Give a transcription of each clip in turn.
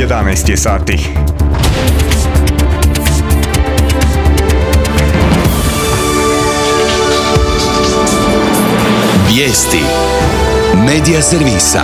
11 je sati. Vijesti Medija servisa.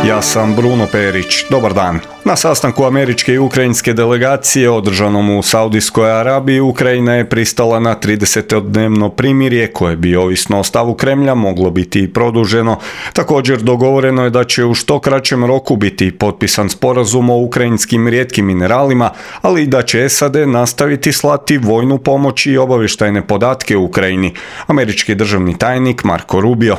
Ja sam Bruno Perić. Dobar dan. Na sastanku američke i ukrajinske delegacije održanom u Saudijskoj Arabiji, Ukrajina je pristala na 30-dnevno primirje koje bi, ovisno o stavu Kremlja, moglo biti i produženo. Također dogovoreno je da će u što kraćem roku biti potpisan sporazum o ukrajinskim rijetkim mineralima, ali i da će SAD nastaviti slati vojnu pomoć i obavještajne podatke u Ukrajini. Američki državni tajnik Marco Rubio.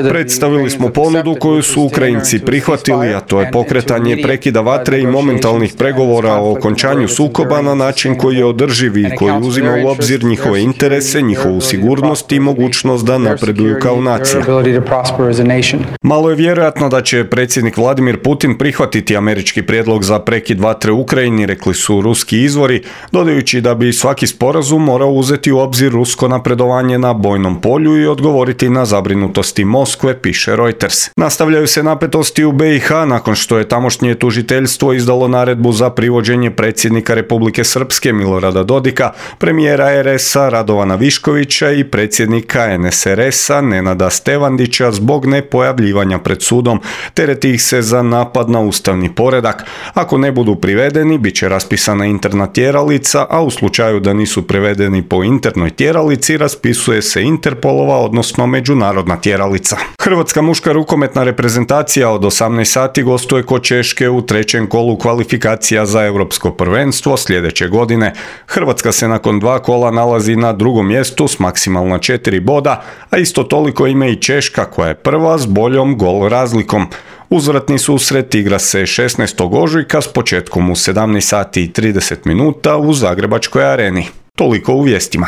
Predstavili smo ponudu koju su Ukrajinci prihvatili, a to je pokretanje prekida vatre i momentalnih pregovora o okončanju sukoba na način koji je održiv i koji uzima u obzir njihove interese, njihovu sigurnost i mogućnost da napreduju kao nacija. Malo je vjerojatno da će predsjednik Vladimir Putin prihvatiti američki prijedlog za prekid vatre u Ukrajini, rekli su ruski izvori, dodajući da bi svaki sporazum morao uzeti u obzir rusko napredovanje na bojnom polju i odgovoriti na zabrinutosti Moskve, piše Reuters. Nastavljaju se napetosti u BiH nakon što je tamošnje tužiteljstvo izdalo naredbu za privođenje predsjednika Republike Srpske Milorada Dodika, premijera RS-a Radovana Viškovića i predsjednika NSRS-a Nenada Stevandića zbog nepojavljivanja pred sudom. Tereti ih se za napad na ustavni poredak. Ako ne budu privedeni, bit će raspisana interna tjeralica, a u slučaju da nisu privedeni po internoj tjeralici, raspisuje se Interpolova, odnosno međunarodna tjeralica. Hrvatska muška rukometna reprezentacija od 18 sati gostuje kod Češke u trećem kolu kvalifikacija za europsko prvenstvo sljedeće godine. Hrvatska se nakon 2 kola nalazi na drugom mjestu s maksimalno 4 boda, a isto toliko ima i Češka koja je prva s boljom gol razlikom. Uzvratni susret igra se 16. ožujka s početkom u 17 sati i 30 minuta u Zagrebačkoj areni. Toliko u vijestima.